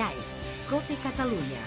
GAE, COPE Catalunya.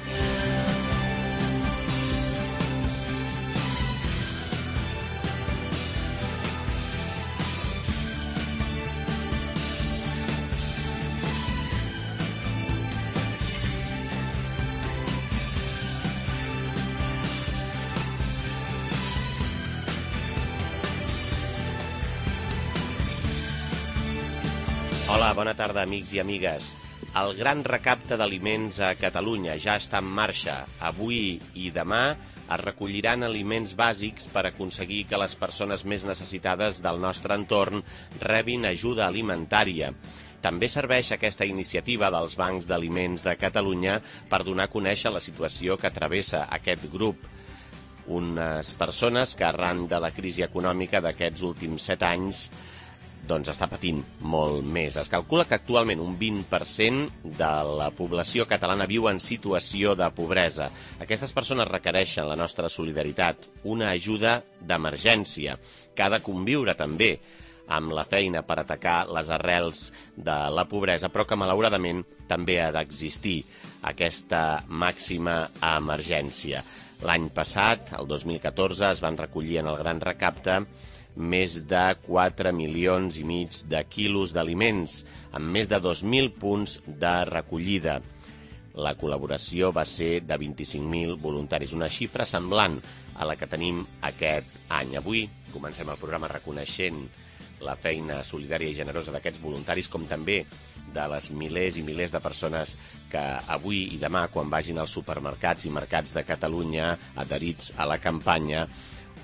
Hola, bona tarda, amics i amigues. El gran recapte d'aliments a Catalunya ja està en marxa. Avui i demà es recolliran aliments bàsics per aconseguir que les persones més necessitades del nostre entorn rebin ajuda alimentària. També serveix aquesta iniciativa dels bancs d'aliments de Catalunya per donar a conèixer la situació que travessa aquest grup. Unes persones que arran de la crisi econòmica d'aquests últims 7 anys està patint molt més. Es calcula que actualment un 20% de la població catalana viu en situació de pobresa. Aquestes persones requereixen la nostra solidaritat, una ajuda d'emergència, que ha de conviure també amb la feina per atacar les arrels de la pobresa, però que malauradament també ha d'existir aquesta màxima emergència. L'any passat, el 2014, es van recollir en el Gran Recapte més de 4,5 milions de quilos d'aliments, amb més de 2.000 punts de recollida. La col·laboració va ser de 25.000 voluntaris, una xifra semblant a la que tenim aquest any. Avui comencem el programa reconeixent la feina solidària i generosa d'aquests voluntaris, com també de les milers i milers de persones que avui i demà, quan vagin als supermercats i mercats de Catalunya adherits a la campanya,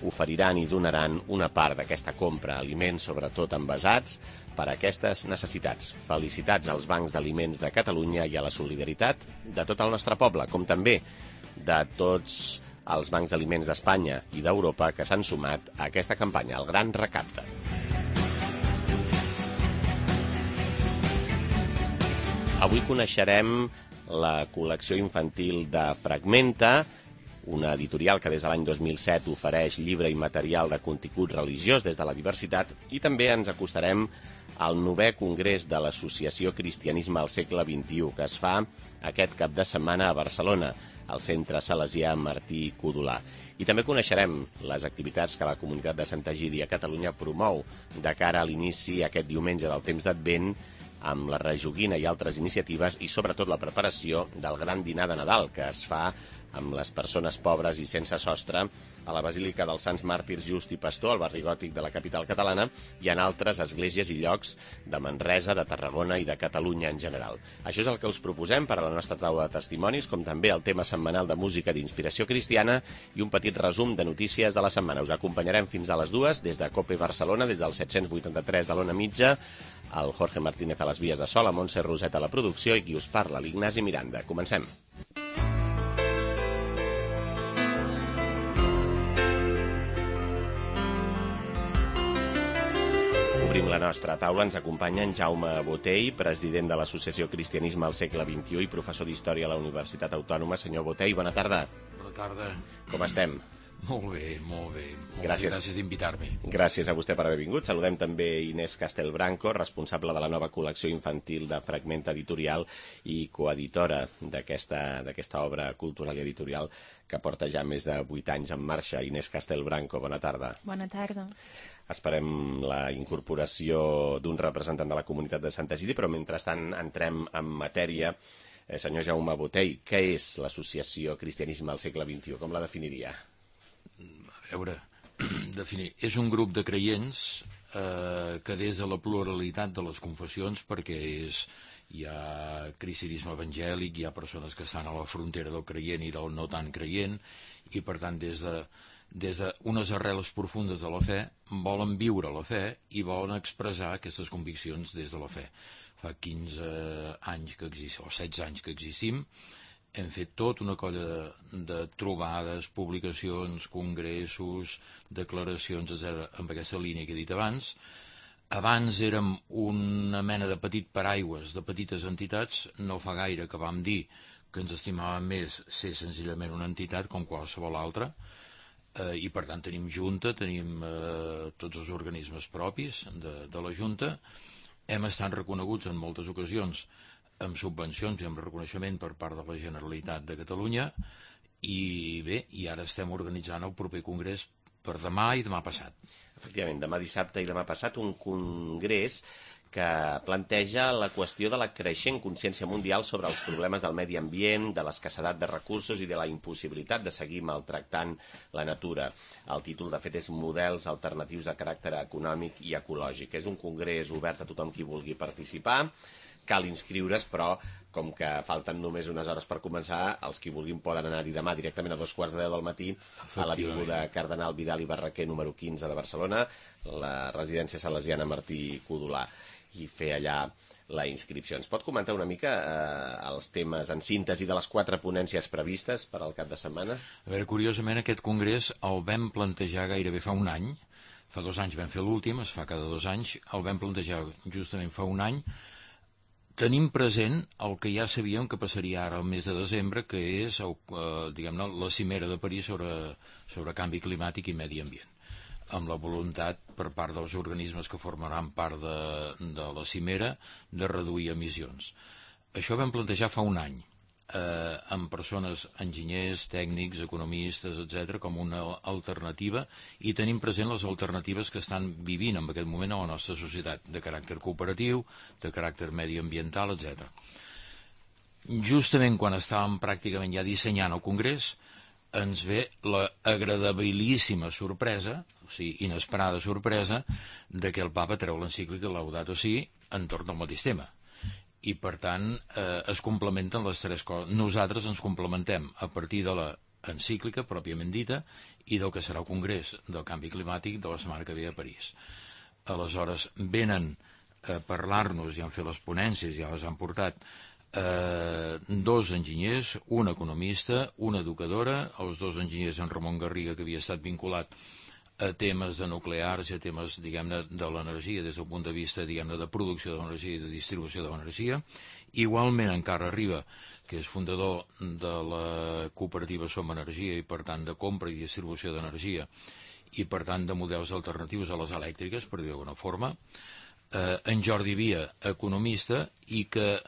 oferiran i donaran una part d'aquesta compra, aliments sobretot envasats, per a aquestes necessitats. Felicitats als bancs d'aliments de Catalunya i a la solidaritat de tot el nostre poble, com també de tots els bancs d'aliments d'Espanya i d'Europa que s'han sumat a aquesta campanya, el Gran Recapte. Avui coneixerem la col·lecció infantil de Fragmenta, una editorial que des de l'any 2007 ofereix llibre i material de contingut religiós des de la diversitat, i també ens acostarem al 9è Congrés de l'Associació Cristianisme al segle XXI, que es fa aquest cap de setmana a Barcelona, al Centre Salesià Martí Codolà. I també coneixerem les activitats que la comunitat de Santa Egídia a Catalunya promou de cara a l'inici aquest diumenge del temps d'Advent, amb la rejoguina i altres iniciatives, i sobretot la preparació del gran dinar de Nadal que es fa amb les persones pobres i sense sostre a la Basílica dels Sants Màrtirs Just i Pastor, al barri gòtic de la capital catalana, i en altres esglésies i llocs de Manresa, de Tarragona i de Catalunya en general. Això és el que us proposem per a la nostra taula de testimonis, com també el tema setmanal de música d'inspiració cristiana i un petit resum de notícies de la setmana. Us acompanyarem fins a les 2 des de COPE Barcelona, des del 783 de l'Ona Mitja, el Jorge Martínez a les vies de so, la Montse Roset a la producció i qui us parla, l'Ignasi Miranda. Comencem. Obrim la nostra taula, ens acompanya en Jaume Botey, president de l'Associació Cristianisme al segle XXI i professor d'Història a la Universitat Autònoma. Senyor Botey, bona tarda. Bona tarda. Com estem? Molt bé, molt bé. Gràcies d'invitar-me. Gràcies a vostè per haver vingut. Saludem també Inés Castelbranco, responsable de la nova col·lecció infantil de Fragmenta Editorial i coeditora d'aquesta obra cultural i editorial que porta ja més de 8 anys en marxa. Inés Castelbranco, bona tarda. Bona tarda. Esperem la incorporació d'un representant de la comunitat de Santa Egídia, però mentrestant entrem en matèria. Senyor Jaume Botey, què és l'Associació Cristianisme al segle XXI? Com la definiria? A veure, és un grup de creients que des de la pluralitat de les confessions, perquè hi ha cristianisme evangèlic, hi ha persones que estan a la frontera del creient i del no tan creient, i per tant des d'unes arrels profundes de la fe volen viure la fe i volen expressar aquestes conviccions des de la fe. Fa 15 anys que existim, o 16 anys que existim, hem fet tot una colla de trobades, publicacions, congressos, declaracions, etc., amb aquesta línia que he dit abans. Abans érem una mena de petit paraigües, de petites entitats. No fa gaire que vam dir que ens estimàvem més ser senzillament una entitat com qualsevol altra, i per tant tenim junta, tenim tots els organismes propis de la junta. Hem estat reconeguts en moltes ocasions amb subvencions i amb reconeixement per part de la Generalitat de Catalunya, i bé, i ara estem organitzant el proper congrés per demà i demà passat. Efectivament, demà dissabte i demà passat un congrés que planteja la qüestió de la creixent consciència mundial sobre els problemes del medi ambient, de l'escassedat de recursos i de la impossibilitat de seguir maltractant la natura. El títol, de fet, és Models alternatius de caràcter econòmic i ecològic. És un congrés obert a tothom qui vulgui participar. Cal inscriure's, però com que falten només unes hores per començar, els qui vulguin poden anar-hi demà directament a 2:15 del matí a l'Avinguda Cardenal Vidal i Barraquer número 15 de Barcelona, la residència salesiana Martí Codolà, i fer allà la inscripció. Ens pot comentar una mica els temes en síntesi de les 4 ponències previstes per al cap de setmana? A veure, curiosament, aquest congrés el vam plantejar gairebé fa un any. Fa 2 anys vam fer l'últim, es fa cada 2 anys. El vam plantejar justament fa un any. Tenim present el que ja sabíem que passaria ara al mes de desembre, que és diguem-ne, la cimera de París sobre canvi climàtic i medi ambient, amb la voluntat per part dels organismes que formaran part de la cimera de reduir emissions. Això ho vam plantejar fa un any, amb persones, enginyers, tècnics, economistes, etc., com una alternativa, i tenim present les alternatives que estan vivint en aquest moment a la nostra societat, de caràcter cooperatiu, de caràcter mediambiental, etc. Justament quan estàvem pràcticament ja dissenyant el congrés, ens ve la agradabilíssima sorpresa, o sigui, inesperada sorpresa, de que el papa treu l'encíclica Laudato Si entorn del mateix tema. I, per tant, es complementen les 3 coses. Nosaltres ens complementem a partir de l'encíclica pròpiament dita i del que serà el congrés del canvi climàtic de la setmana que ve a París. Aleshores, venen a parlar-nos, ja han fet les ponències, ja les han portat, 2 enginyers, un economista, una educadora, els 2 enginyers en Ramon Garriga, que havia estat vinculat a temes de nuclears i a temes, diguem-ne, de l'energia des del punt de vista, diguem-ne, de producció de l'energia i de distribució de l'energia. Igualment, en Carles Riba, que és fundador de la cooperativa Som Energia i, per tant, de compra i distribució d'energia i, per tant, de models alternatius a les elèctriques, per dir d'alguna forma. En Jordi Via, economista, i que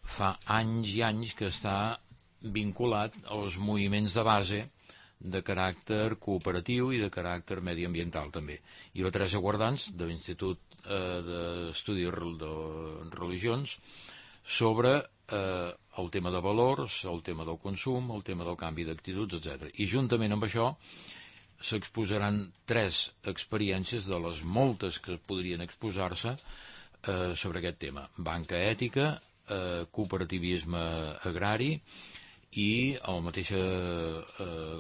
fa anys i anys que està vinculat als moviments de base de caràcter cooperatiu i de caràcter mediambiental també. I la Teresa Guardans, de l'Institut d'Estudis de Religions, sobre el tema de valors, el tema del consum, el tema del canvi d'actituds, etc. I juntament amb això s'exposaran 3 experiències de les moltes que podrien exposar-se sobre aquest tema. Banca ètica, cooperativisme agrari i la mateixa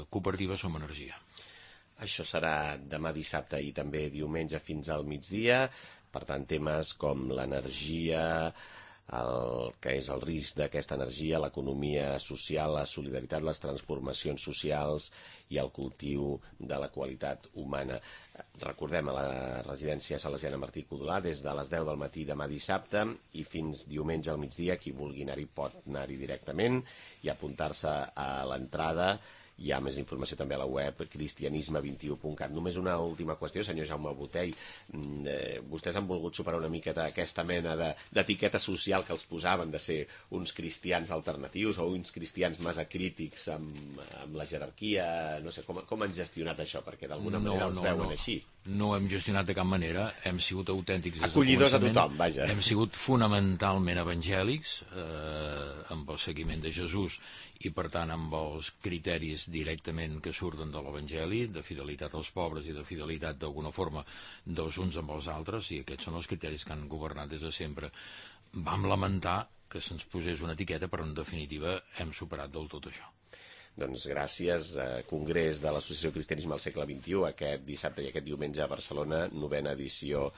cooperativa Som Energia. Això serà demà dissabte i també diumenge fins al migdia. Per tant, temes com l'energia, el que és el risc d'aquesta energia, l'economia social, la solidaritat, les transformacions socials i el cultiu de la qualitat humana. Recordem, a la residència salesiana Martí Codolà, des de les 10 del matí demà dissabte i fins diumenge al migdia. Qui vulgui anar-hi pot anar-hi directament i apuntar-se a l'entrada. Hi ha més informació també a la web cristianisme21.cat. Només una última qüestió, senyor Jaume Botey. Vostès han volgut superar una miqueta aquesta mena d'etiqueta social que els posaven de ser uns cristians alternatius o uns cristians massa crítics amb la jerarquia. No sé, com han gestionat això? Perquè d'alguna manera els veuen així. No hem gestionat de cap manera, hem sigut autèntics des del acollidors començament. A tothom, vaja. Hem sigut fonamentalment evangèlics, amb el seguiment de Jesús i, per tant, amb els criteris directament que surten de l'Evangeli, de fidelitat als pobres i de fidelitat, d'alguna forma, dels uns amb els altres, i aquests són els criteris que han governat des de sempre. Vam lamentar que se'ns posés una etiqueta, però, en definitiva, hem superat del tot això. Doncs gràcies. Congrés de l'Associació Cristianisme al segle XXI, aquest dissabte i aquest diumenge a Barcelona, 9ª edició.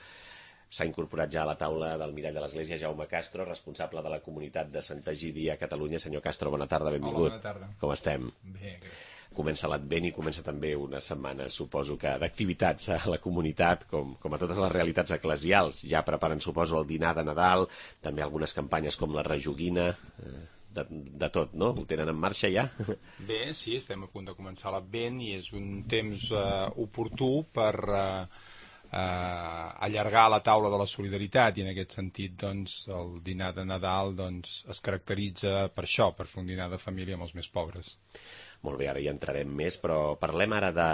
S'ha incorporat ja a la taula del Mirall de l'Església Jaume Castro, responsable de la comunitat de Sant Egidi a Catalunya. Senyor Castro, bona tarda, benvingut. Hola, bona tarda. Com estem? Bé, gràcies. Comença l'Advent i comença també una setmana, suposo que, d'activitats a la comunitat, com a totes les realitats eclesials. Ja preparen, suposo, el dinar de Nadal, també algunes campanyes com la rejoguina, de tot, no? Ho tenen en marxa ja? Bé, sí, estem a punt de començar l'Advent i és un temps oportú per allargar la taula de la solidaritat, i en aquest sentit doncs, el dinar de Nadal doncs, es caracteritza per això, per fer un dinar de família amb els més pobres. Molt bé, ara hi entrarem més, però parlem ara de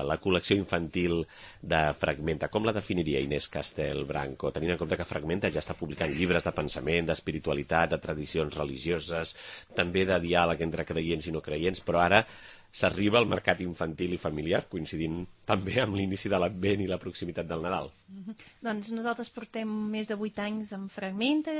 la col·lecció infantil de Fragmenta. Com la definiria Inés Castelbranco, tenint en compte que Fragmenta ja està publicant llibres de pensament, d'espiritualitat, de tradicions religioses, també de diàleg entre creients i no creients, però ara s'arriba al mercat infantil i familiar, coincidint també amb l'inici de l'Advent i la proximitat del Nadal. Doncs nosaltres portem més de 8 anys amb Fragmenta,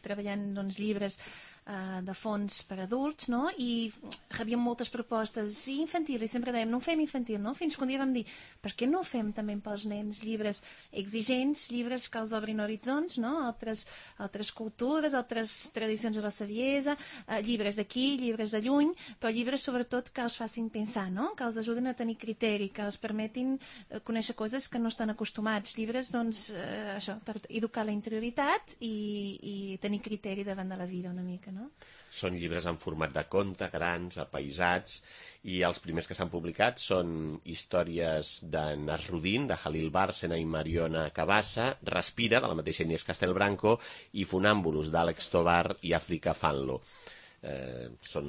treballant llibres de fons per adults, no? I rebíem moltes propostes infantil, i sempre dèiem, no fem infantil, no? Fins que un dia vam dir, per què no fem també pels nens llibres exigents, llibres que els obrin horitzons, no? Altres cultures, altres tradicions de la saviesa, llibres d'aquí, llibres de lluny, però llibres sobretot que els facin pensar, no? Que els ajuden a tenir criteri, que els permetin conèixer coses que no estan acostumats. Llibres, doncs, això, per educar la interioritat i tenir criteri davant de la vida una mica, no? Són llibres en format de conte, grans, apaïsats, i els primers que s'han publicat són històries de Nasruddin, de Halil Bárcena i Mariona Cabassa, Respira, de la mateixa Inés Castelbranco, i Funàmbulus, d'Àlex Tovar i Àfrica Fanlo. Són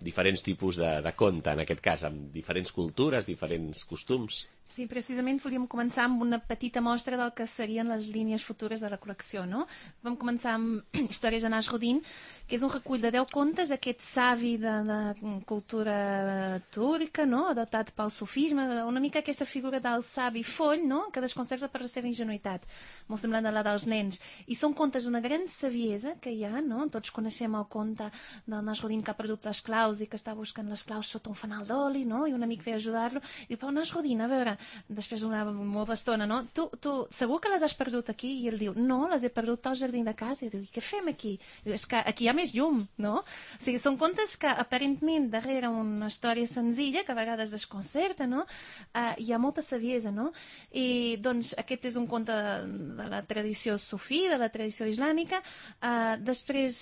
diferents tipus de conte, en aquest cas, amb diferents cultures, diferents costums. Sí, precisament volíem començar amb una petita mostra del que serien les línies futures de la col·lecció, no? Vam començar amb Històries de Nasruddin, que és un recull de 10 contes, aquest savi de cultura turca, no? Adoptat pel sufisme, una mica aquesta figura del savi foll, no? Que desconcerta per la seva ingenuïtat, molt semblant a la dels nens. I són contes d'una gran saviesa que hi ha, no? Tots coneixem el conte del Nasruddin que ha perdut les claus i que està buscant les claus sota un fanal d'oli, no? I un amic ve a ajudar-lo. I diu, però Nasruddin, a veure, després d'una molta estona, no? Tu segur que les has perdut aquí? I ell diu, no, les he perdut al jardí de casa. I diu, i què fem aquí? I diu, és que aquí hi ha més llum, no? O sigui, són contes que aparentment darrere una història senzilla, que a vegades desconcerta, no? Hi ha molta saviesa, no? I doncs aquest és un conte de la tradició sufí, de la tradició islàmica. Després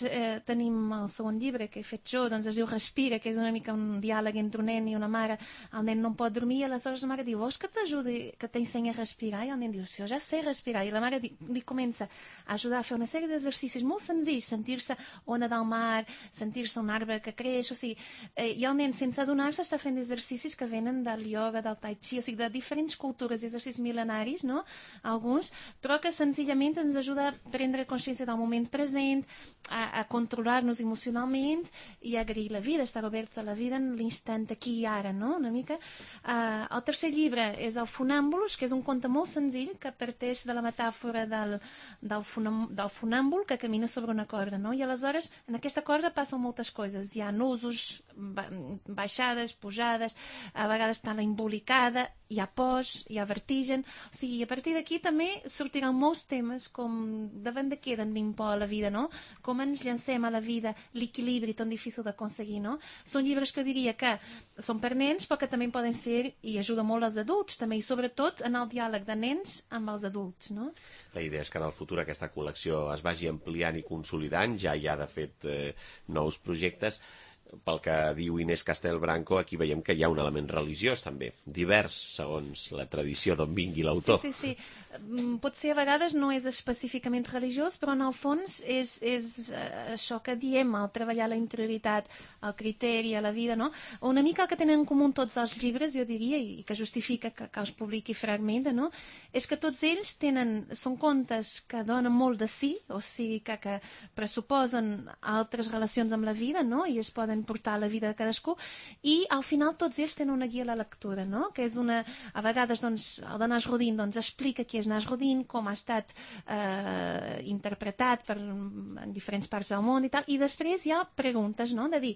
tenim el segon llibre que he fet jo, doncs es diu Respira, que és una mica un diàleg entre un nen i una mare. El nen no pot dormir i aleshores la mare diu, vols que t'ajudi, que t'ensenyi a respirar? I el nen diu, sí, jo ja sé respirar. I la mare li comença a ajudar a fer una sèrie d'exercicis molt senzills, sentir-se ona del mar, sentir-se un arbre que creix, o sigui, i el nen sense adonar-se està fent exercicis que venen del ioga, del tai chi, o sigui, de diferents cultures, exercicis mil·lenaris, no? Alguns, però que senzillament ens ajuda a prendre consciència del moment present, a controlar-nos emocionalment i a agrair la vida, estar oberts a la vida en l'instant aquí i ara, no? Una mica. El tercer llibre és el Funàmbulus, que és un conte molt senzill que parteix de la metàfora del funàmbul que camina sobre una corda, no? I aleshores en aquesta corda passen moltes coses, hi ha nusos, baixades, pujades, a vegades està la embolicada, hi ha pors, hi ha vertigen, o sigui, a partir d'aquí també sortiran molts temes com davant de què tenim por a la vida, no? Com ens llancem a la vida, l'equilibri tan difícil d'aconseguir, no? Són llibres que jo diria que són per nens, però que també poden ser, i ajuda molt als adults també, i sobretot en el diàleg de nens amb els adults, no? La idea és que en el futur aquesta col·lecció es vagi ampliant i consolidant, ja hi ha de fet nous projectes. Pel que diu Inés Castelbranco, aquí veiem que hi ha un element religiós també, divers segons la tradició d'on vingui l'autor. Sí. Potser a vegades no és específicament religiós, però en el fons és això que diem, el treballar la interioritat, el criteri, a la vida, no? Una mica el que tenen en comú tots els llibres, jo diria, i que justifica que els publiqui Fragmenta, no? És que tots ells són contes que donen molt de si, o sigui, que pressuposen altres relacions amb la vida, no? I es poden portar a la vida de cadascú, i al final tots ells tenen una guia a la lectura, no? Que és a vegades, doncs, el de Nasruddin explica qui és Nasruddin, com ha estat interpretat en diferents parts del món i tal, i després hi ha preguntes, no? De dir,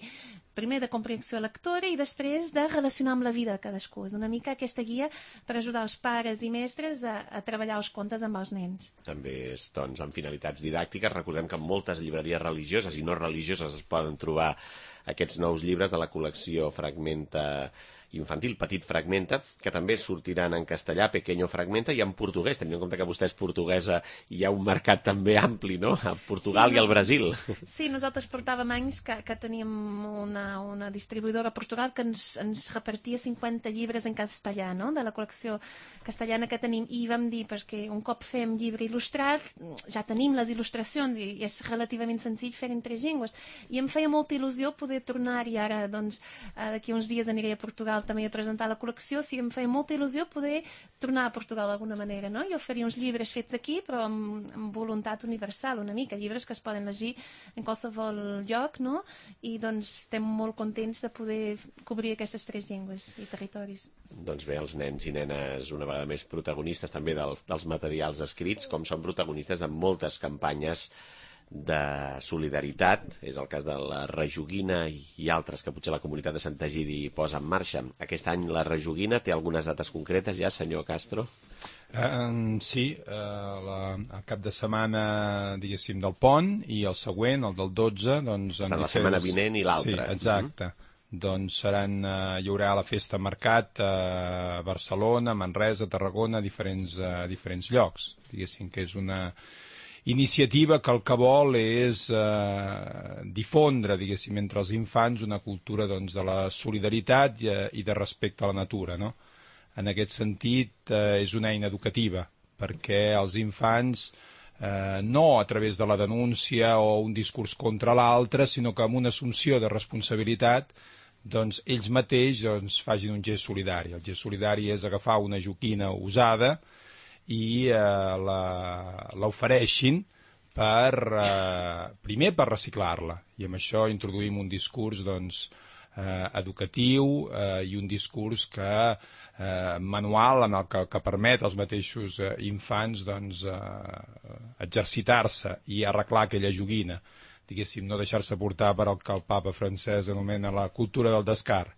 primer de comprensió lectora i després de relacionar amb la vida de cadascú. És una mica aquesta guia per ajudar els pares i mestres a treballar els contes amb els nens. També és, doncs, amb finalitats didàctiques. Recordem que en moltes llibreries religioses i no religioses es poden trobar aquests nous llibres de la col·lecció Fragmenta infantil, Petit Fragmenta, que també sortiran en castellà, Pequeño Fragmenta, i en portuguès, tenint en compte que vostè és portuguesa, hi ha un mercat també ampli, no?, a Portugal i al Brasil. Sí, nosaltres portàvem anys que teníem una distribuïdora a Portugal que ens repartia 50 llibres en castellà, no?, de la col·lecció castellana que tenim, i vam dir, perquè un cop fem llibre il·lustrat, ja tenim les il·lustracions i és relativament senzill fer en 3 llengües, i em feia molta il·lusió poder tornar-hi ara, doncs, d'aquí uns dies aniré a Portugal també a presentar la col·lecció, sí, em feia molta il·lusió poder tornar a Portugal d'alguna manera, no?, i oferir uns llibres fets aquí, però amb voluntat universal, una mica, llibres que es poden llegir en qualsevol lloc, no?, i doncs estem molt contents de poder cobrir aquestes 3 llengües i territoris. Doncs bé, els nens i nenes una vegada més protagonistes també dels materials escrits, com són protagonistes de moltes campanyes de solidaritat, és el cas de la Rejoguina i altres que potser la comunitat de Sant Egidi posa en marxa. Aquest any la Rejoguina té algunes dates concretes ja, senyor Castro? Sí, el cap de setmana, diguéssim, del Pont, i el següent, el del 12, doncs... La setmana vinent i l'altra. Sí, exacte. Doncs hi haurà la festa mercat a Barcelona, Manresa, Tarragona, a diferents llocs. Diguéssim que és una iniciativa que el que vol és difondre, diguéssim, entre els infants una cultura, doncs, de la solidaritat i de respecte a la natura, no? En aquest sentit, és una eina educativa, perquè els infants, no a través de la denúncia o un discurs contra l'altre, sinó que amb una assumpció de responsabilitat, doncs ells mateixos facin un gest solidari. El gest solidari és agafar una joquina usada i l'ofereixin primer per reciclar-la, i amb això introduïm un discurs, doncs, educatiu i un discurs manual en el que permet als mateixos infants, doncs, exercitar-se i arreglar aquella joguina, diguéssim, no deixar-se portar per el que el papa francès anomena la cultura del descart.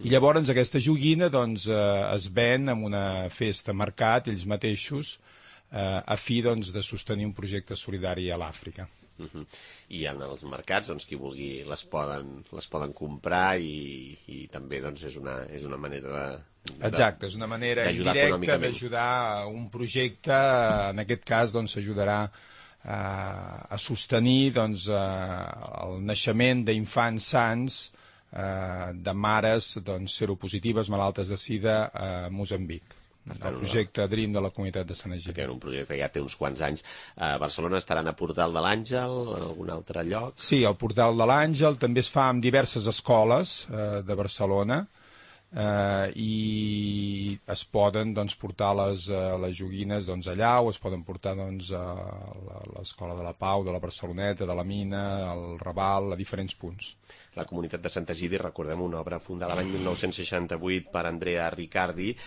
I llavors aquesta joguina, doncs, es ven en una festa mercat, ells mateixos, a fi, doncs, de sostenir un projecte solidari a l'Àfrica. I en els mercats, doncs, qui vulgui les poden comprar i també, doncs, és una manera Exacte, és una manera indirecta d'ajudar un projecte. En aquest cas, doncs, s'ajudarà a sostenir, doncs, el naixement d'infants sans de mares, doncs, seropositives malaltes de sida a Moçambic. El projecte DREAM de la comunitat de Sant Egidi. Un projecte que ja té uns quants anys. A Barcelona estaran a Portal de l'Àngel, en algun altre lloc? Sí, al Portal de l'Àngel també es fa en diverses escoles de Barcelona, i es poden, doncs, portar les joguines, doncs, allà, o es poden portar, doncs, a l'Escola de la Pau, de la Barceloneta, de la Mina, al Raval, a diferents punts. La comunitat de Sant Egidi, recordem, una obra fundada l'any 1968 per Andrea Riccardi,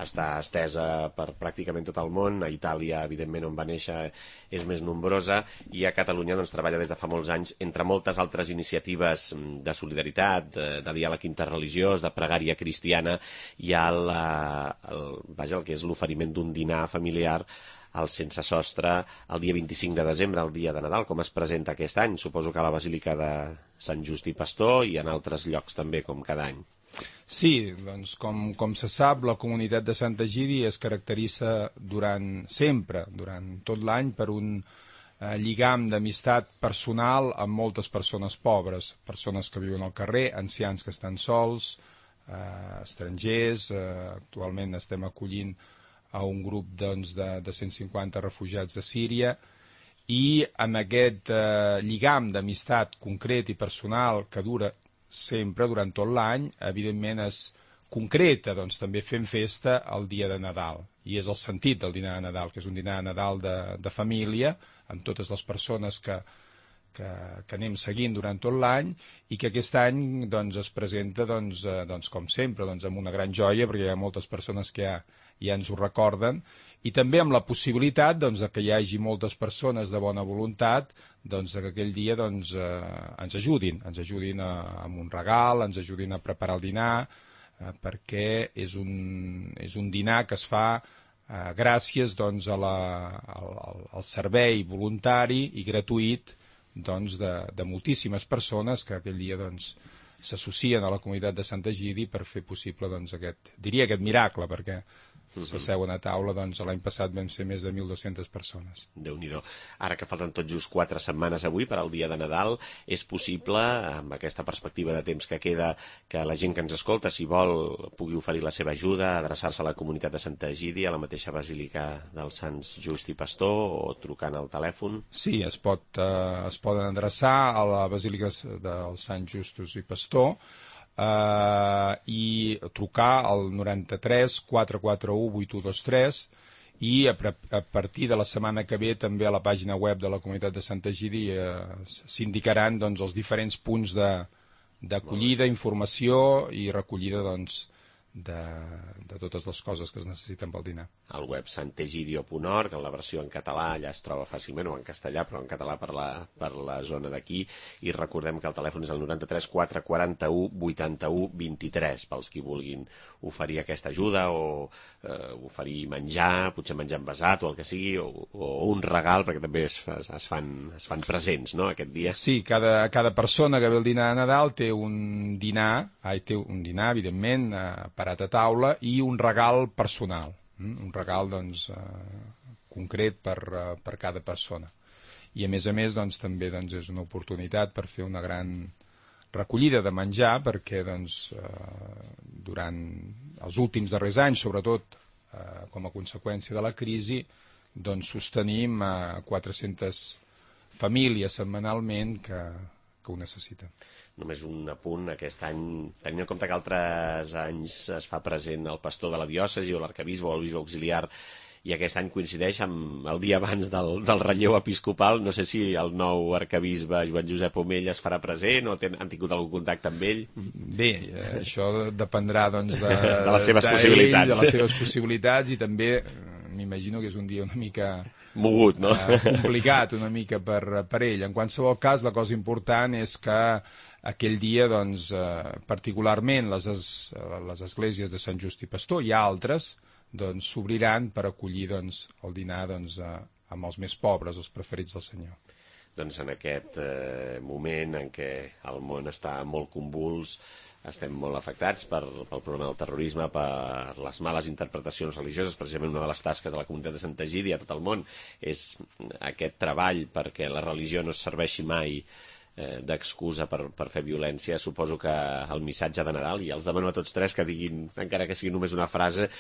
està estesa per pràcticament tot el món. A Itàlia, evidentment, on va néixer, és més nombrosa, i a Catalunya, doncs, treballa des de fa molts anys, entre moltes altres iniciatives de solidaritat, de diàleg interreligiós, de pregària cristiana. Hi ha el que és l'oferiment d'un dinar familiar al Sense Sostre el dia 25 de desembre, el dia de Nadal. Com es presenta aquest any? Suposo que a la Basílica de Sant Just i Pastor i en altres llocs també, com cada any. Sí, doncs, com se sap, la comunitat de Sant Egidi es caracteritza sempre, durant tot l'any, per un lligam d'amistat personal amb moltes persones pobres, persones que viuen al carrer, ancians que estan sols, estrangers. Actualment estem acollint a un grup, doncs, de 150 refugiats de Síria, i amb aquest lligam d'amistat concret i personal que dura sempre, durant tot l'any, evidentment es concreta, doncs, també fent festa el dia de Nadal. I és el sentit del dinar de Nadal, que és un dinar de Nadal de família, amb totes les persones que anem seguint durant tot l'any, i que aquest any, doncs, es presenta, doncs, com sempre, doncs, amb una gran joia, perquè hi ha moltes persones que ja ens ho recorden, i també amb la possibilitat, doncs, que hi hagi moltes persones de bona voluntat, doncs, que aquell dia, doncs, ens ajudin amb un regal, ens ajudin a preparar el dinar, perquè és un dinar que es fa gràcies, doncs, al servei voluntari i gratuït, doncs, de moltíssimes persones que aquell dia, doncs, s'associen a la comunitat de Sant Egidi per fer possible doncs, aquest miracle, perquè s'asseuen a taula, doncs l'any passat vam ser més de 1.200 persones. Déu-n'hi-do. Ara que falten tot just 4 setmanes avui per al dia de Nadal, és possible, amb aquesta perspectiva de temps que queda, que la gent que ens escolta, si vol, pugui oferir la seva ajuda, adreçar-se a la comunitat de Santa Egidi, a la mateixa Basílica dels Sants Just i Pastor, o trucant al telèfon? Sí, es poden adreçar a la Basílica dels Sants Justos i Pastor, i trucar al 93 441 8123 i a partir de la setmana que ve també a la pàgina web de la comunitat de Santa Egidi s'indicaran doncs, els diferents punts d'acollida, informació i recollida doncs, de totes les coses que es necessiten pel dinar. Al web santegidio.org, en la versió en català allà es troba fàcilment, o en castellà, però en català per la zona d'aquí, i recordem que el telèfon és el 93 441 81 23, pels qui vulguin oferir aquesta ajuda, o oferir menjar, potser menjar envasat, o el que sigui, o un regal, perquè també es fan presents, no?, aquest dia. Sí, cada persona que ve al dinar de Nadal té un dinar, evidentment, parat a taula, i un regal personal. Un regal doncs, concret per cada persona. I a més doncs, també doncs, és una oportunitat per fer una gran recollida de menjar, perquè doncs, durant els últims darrers anys, sobretot com a conseqüència de la crisi, doncs, sostenim 400 famílies setmanalment que ho necessiten. Només un apunt, aquest any, tenint en compte que altres anys es fa present el pastor de la diòcesi o l'arquebisbe o el bisbe auxiliar, i aquest any coincideix amb el dia abans del relleu episcopal, no sé si el nou arquebisbe Joan Josep Omell es farà present o han tingut algun contacte amb ell? Bé, això dependrà doncs, de les seves possibilitats. De les seves possibilitats, i també m'imagino que és un dia una mica mogut, no? Complicat una mica per ell. En qualsevol cas, la cosa important és que aquell dia, doncs, particularment les esglésies de Sant Just i Pastor i altres, doncs, s'obriran per acollir doncs, el dinar doncs, amb els més pobres, els preferits del Senyor. Doncs en aquest moment en què el món està molt convuls, estem molt afectats pel problema del terrorisme, per les males interpretacions religioses. Precisament una de les tasques de la comunitat de Santa Egidi a tot el món és aquest treball perquè la religió no serveixi mai d'excusa per fer violència. Suposo que el missatge de Nadal, i els demano a tots tres que diguin, encara que sigui només una frase,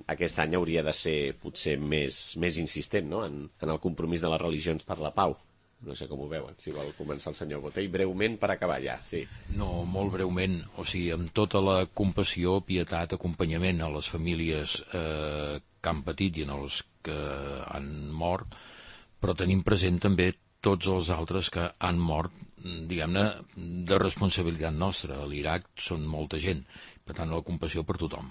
aquest any hauria de ser potser més insistent, no?, en el compromís de les religions per la pau. No sé com ho veuen, si vol començar el senyor Botey, breument per acabar ja. Sí. No, molt breument, o sigui, amb tota la compassió, pietat, acompanyament a les famílies que han patit i en els que han mort, però tenim present també tots els altres que han mort, diguem-ne, de responsabilitat nostra. A l'Iraq són molta gent, per tant, la compassió per tothom.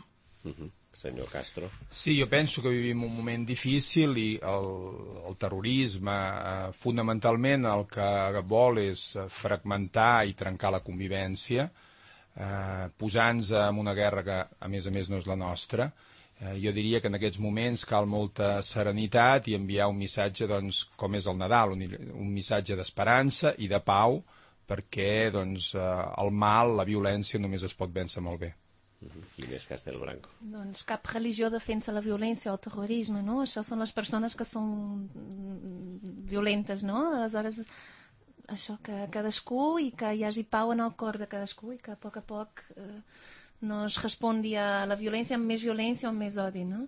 Senyor Castro. Sí, jo penso que vivim un moment difícil i el terrorisme fonamentalment el que vol és fragmentar i trencar la convivència, posant-nos en una guerra que a més no és la nostra. Jo diria que en aquests moments cal molta serenitat i enviar un missatge, doncs, com és el Nadal, un missatge d'esperança i de pau, perquè doncs, el mal, la violència, només es pot vèncer molt bé. Inés Castelbranco. Doncs cap religió defensa la violència o el terrorisme, no? Això són les persones que són violentes, no? Aleshores, això, que cadascú, i que hi hagi pau en el cor de cadascú, i que a poc no es respongui a la violència amb més violència o amb més odi, no?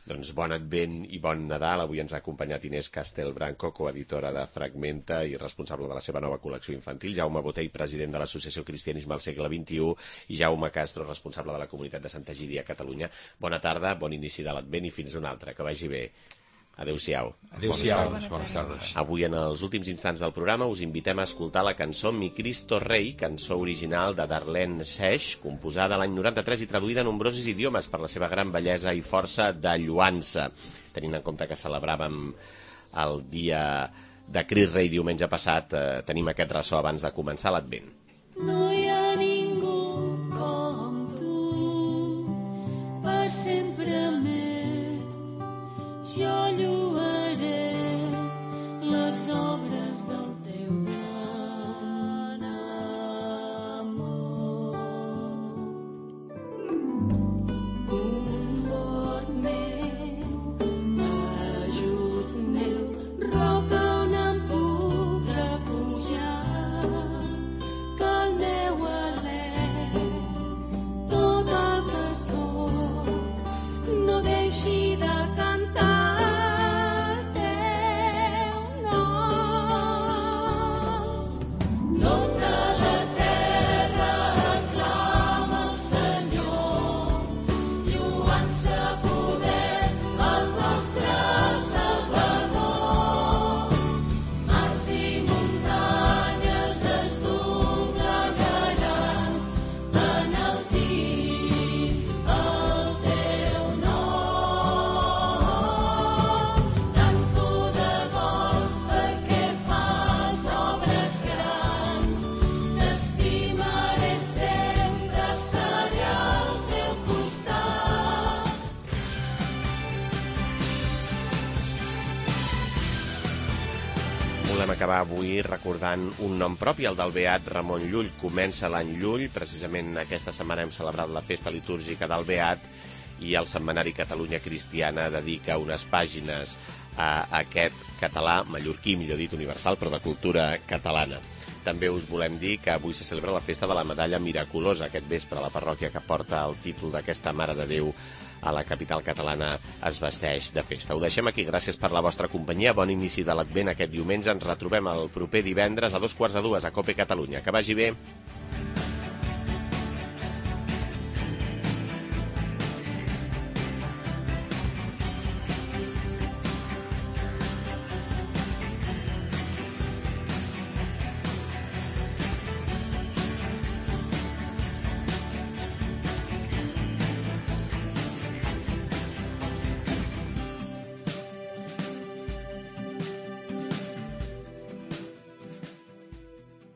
Doncs bon Advent i bon Nadal. Avui ens ha acompanyat Inés Castelbranco, coeditora de Fragmenta i responsable de la seva nova col·lecció infantil, Jaume Botey, president de l'Associació Cristianisme al segle XXI, i Jaume Castro, responsable de la comunitat de Santa Egidi a Catalunya. Bona tarda, bon inici de l'Advent i fins una altra. Que vagi bé. Adéu-siau. Adéu-siau. Bones tardes. Avui, en els últims instants del programa, us invitem a escoltar la cançó Mi Cristo Rei, cançó original de Darlene Seix, composada l'any 93 i traduïda a nombrosos idiomes per la seva gran bellesa i força de lluança. Tenint en compte que celebràvem el dia de Crist Rei diumenge passat, tenim aquest ressò abans de començar l'Advent. No hi ha ningú com tu, per sempre més. Jo lloaré les obres del teu gran amor. Volem acabar avui recordant un nom propi, el del beat Ramon Llull. Comença l'any Llull, precisament aquesta setmana hem celebrat la festa litúrgica del beat i el setmanari Catalunya Cristiana dedica unes pàgines a aquest català, mallorquí, millor dit, universal, però de cultura catalana. També us volem dir que avui se celebra la festa de la medalla miraculosa. Aquest vespre la parròquia que porta el títol d'aquesta Mare de Déu a la capital catalana es vesteix de festa. Ho deixem aquí, gràcies per la vostra companyia. Bon inici de l'Advent aquest diumenge. Ens retrobem el proper divendres a 2:45 a COPE Catalunya. Que vagi bé.